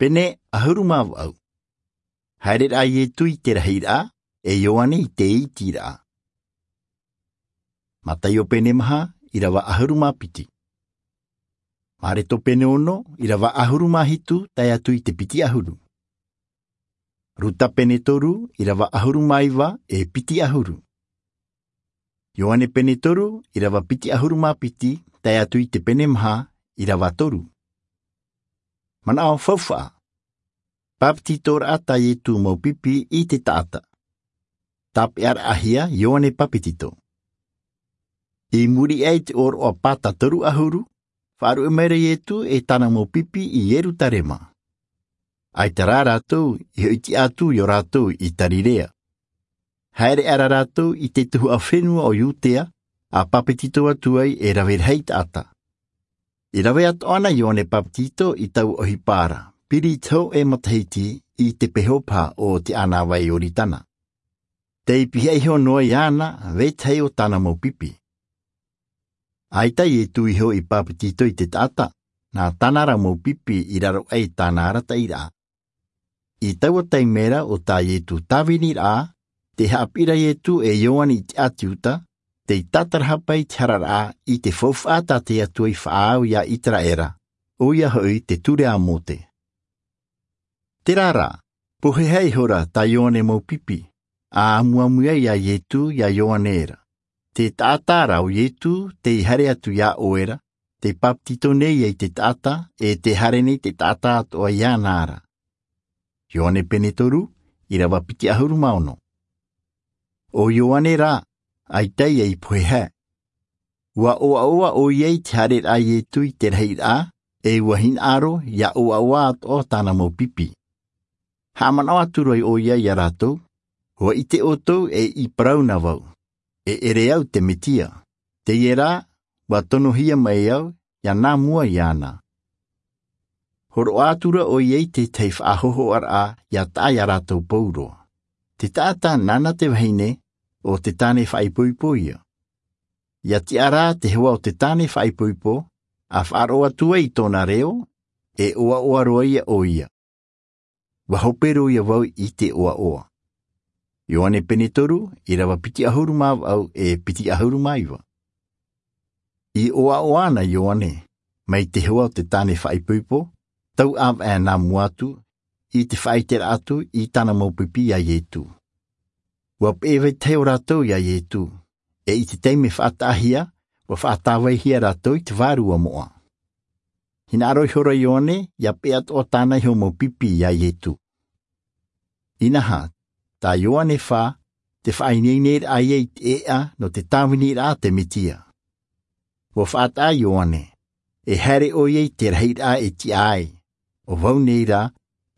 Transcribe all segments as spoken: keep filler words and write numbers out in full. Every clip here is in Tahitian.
Pene ʻahuru mā vaʻu. Haereraʻa a Ietu i te rahiraʻa, e Ioane i te itiraʻa. Mataio pene maha, irava ʻahuru mā piti. Mareto pene ono, irava ʻahuru mā hitu, tae atu i te piti ʻahuru. Ruta pene toru, irava ʻahuru mā iva, e piti ʻahuru. Ioane pene toru, irava piti ʻahuru mā piti, tae atu i te pene maha, irava toru. Manaʻo faufaʻa. Papetitoraʻa tā Ietu mau pipi i te taʻata. Tāpeʻaraʻahia Ioane Papetito. I muri aʻe i te ʻōroʻa pāta toru ʻahuru, faʻaruʻe mai ra Ietu e tāna mau pipi i Ierutarema. ʻAita rā rātou i hoʻi tiʻa atu i ō rātou i Tarirea. Haere aʻera rātou i te tuhaʻa fenua o Iudea, ʻa papetito atu ai e rave rahi taʻata. I rave atoʻa na Ioane Papetito i taua ʻohipa ra, piri i te hōʻē matahiti i te peho paha o te ʻānāvai Ioritana. Tei pihaʻi iho noa iāna, vetahi o tāna mau pipi. ʻAita Ietu iho i papetito i te taʻata, nā tāna ra mau pipi i raro aʻe i tāna arataʻiraʻa. I taua taime ra o tā Ietu tāviniraʻa, tē haʻapiʻi ra Ietu e Ioane i te ʻāti Iuta, tei tātarahapa i te hararaʻa i te faufaʻa tā te Atua i faʻaau iā Iteraera, ʻoia hoʻi te ture a Mōte. Terā rā, pohe ihora tā Ioane mau pipi, ʻa amuamu ai iā Ietu iā Ioane ra. Te taʻata ra ʻo Ietu tei haere atu iā ʻoe ra, tei papetito nei ai te taʻata, e tē haere nei te taʻata atoʻa iāna ra. Ioane pene toru, irava piti ʻahuru mā ono. ʻO Ioane rā, ʻaita ia i pohe. ʻUa ʻoaʻoa ʻoia i te haereraʻa a Ietu i te rahiraʻa, e ʻua hinaʻaro ʻia ʻoaʻoa atoʻa tāna mau pipi. Haʻamanaʻo atu ra ʻoia iā rātou, ʻua ʻite ʻoutou e i parau na vau, e ʻere au te Metia. Teie rā, ʻua tonohia mai au, ʻia nā mua iāna. Hōroʻa atu ra ʻoia i te tahi faʻahōhoʻaraʻa ʻia taʻa iā rātou pauroa. Te taʻata nāna te vahine, ʻo te tāne faʻaipoipo ia. ʻIa tiʻa rā te hoa o te tāne faʻaipoipo, ʻa faʻaroʻo atu ai i tōna reo, e ʻoaʻoa roa ia ʻoia. ʻUa hope roa ia vau i te ʻoaʻoa. Ioane pene toru, irava piti ʻahuru mā vaʻu e piti ʻahuru mā iva. I ʻoaʻoa na Ioane, mai te hoa o te tāne faʻaipoipo, tau ʻāvaʻe nā mua atu, i te faʻaiteraʻa atu i tāna mau pipi iā Ietu. ʻUa peʻe vetahi o rātou iā Ietu, e i te taime faʻataʻahia, ʻua faʻatāvaihia rātou i te vārua moʻa. Hinaʻaro ihora Ioane, ʻia peʻe atoʻa tāna iho mau pipi iā Ietu. Inaha, tā Ioane fā, te faʻaineineraʻa ia i te ʻēʻa nō te tāviniraʻa a te Metia. ʻUa faʻataʻa Ioane, e haere ʻoia i te rahiraʻa e tiʻa ai, ʻo vau nei rā,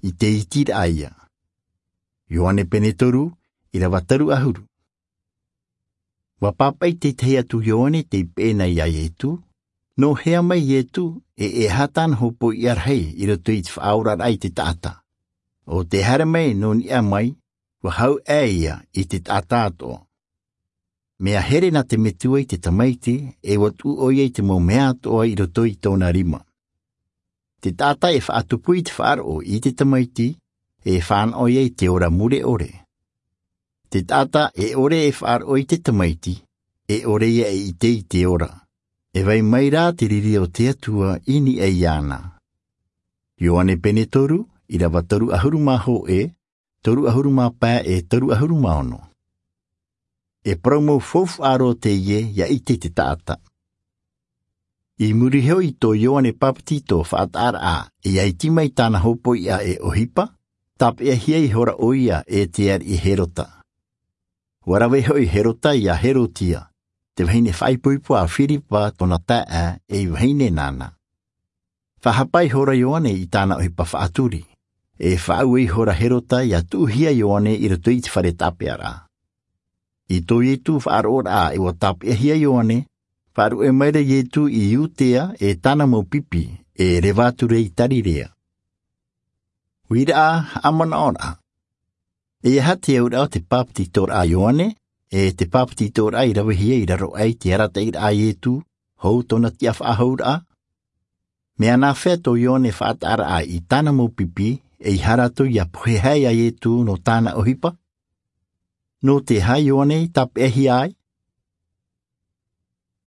i te itiraʻa ia. Ioane pene toru, irava toru ʻahuru. ʻUa pāpaʻi te tahi atu Ioane tei peʻe na iā Ietu, nō hea mai Ietu, e e aha tāna hōpoiʻa rahi i roto i te faʻaoraraʻa i te taʻata. ʻO tē haere mai nō niʻa mai, ʻua hau aʻe ia i te taʻata atoʻa. Mea here nā te Metua i te tamaiti, e ʻua tuʻu ʻoia i te mau mea atoʻa i roto i tōna rima. Te taʻata e faʻatupu i te faʻaroʻo i te tamaiti, e fānaʻo ia i te ora mure ʻore. Te taʻata e ʻore e faʻaroʻo i te tamaiti, e ʻore ia e ʻite i te ora. E vai mai rā te riri o te Atua i niʻa iāna. Ioane pene toru, irava toru ʻahuru mā hōʻē, toru ʻahuru mā pae e toru ʻahuru mā ono. E parau mau faufaʻa roa teie ʻia ʻite te taʻata. I muri iho i tō Ioane Papetito faʻataʻaraʻa, ʻia iti mai tāna hōpoiʻa e ʻohipa, tāpeʻahia ihora ʻoia e te ariʻi Herota. ʻUa rave hoʻi Herota iā Herotia, te vahine faʻaipoipo a Firipa tōna taeaʻe e i vahine nāna. Faʻahapa ihora Ioane i tāna ʻohipa faʻaturi, e faʻaue ihora Herota ʻia tuʻuhia Ioane i roto i te fare tāpeʻaraʻa. I tō Ietu faʻaroʻoraʻa e ʻua tāpeʻahia Ioane, faʻaruʻe mai ra Ietu i Iutea e tāna mau pipi, e reva atu ra i Tarirea. Uiraʻa, haʻamanaʻoraʻa. E aha te auraʻa o te papetitoraʻa a Ioane, e te papetitoraʻa i ravehia i raro aʻe i te arataʻiraʻa a Ietu, hou tōna tiʻa faʻahouraʻa? Mea nāfea tō Ioane e faʻataʻaraʻa i tāna mau pipi, e ʻeiaha rātou ia pohe hia iā Iesu nō tāna ʻohipa? Nō te aha Ioane i tāpeʻahia ai?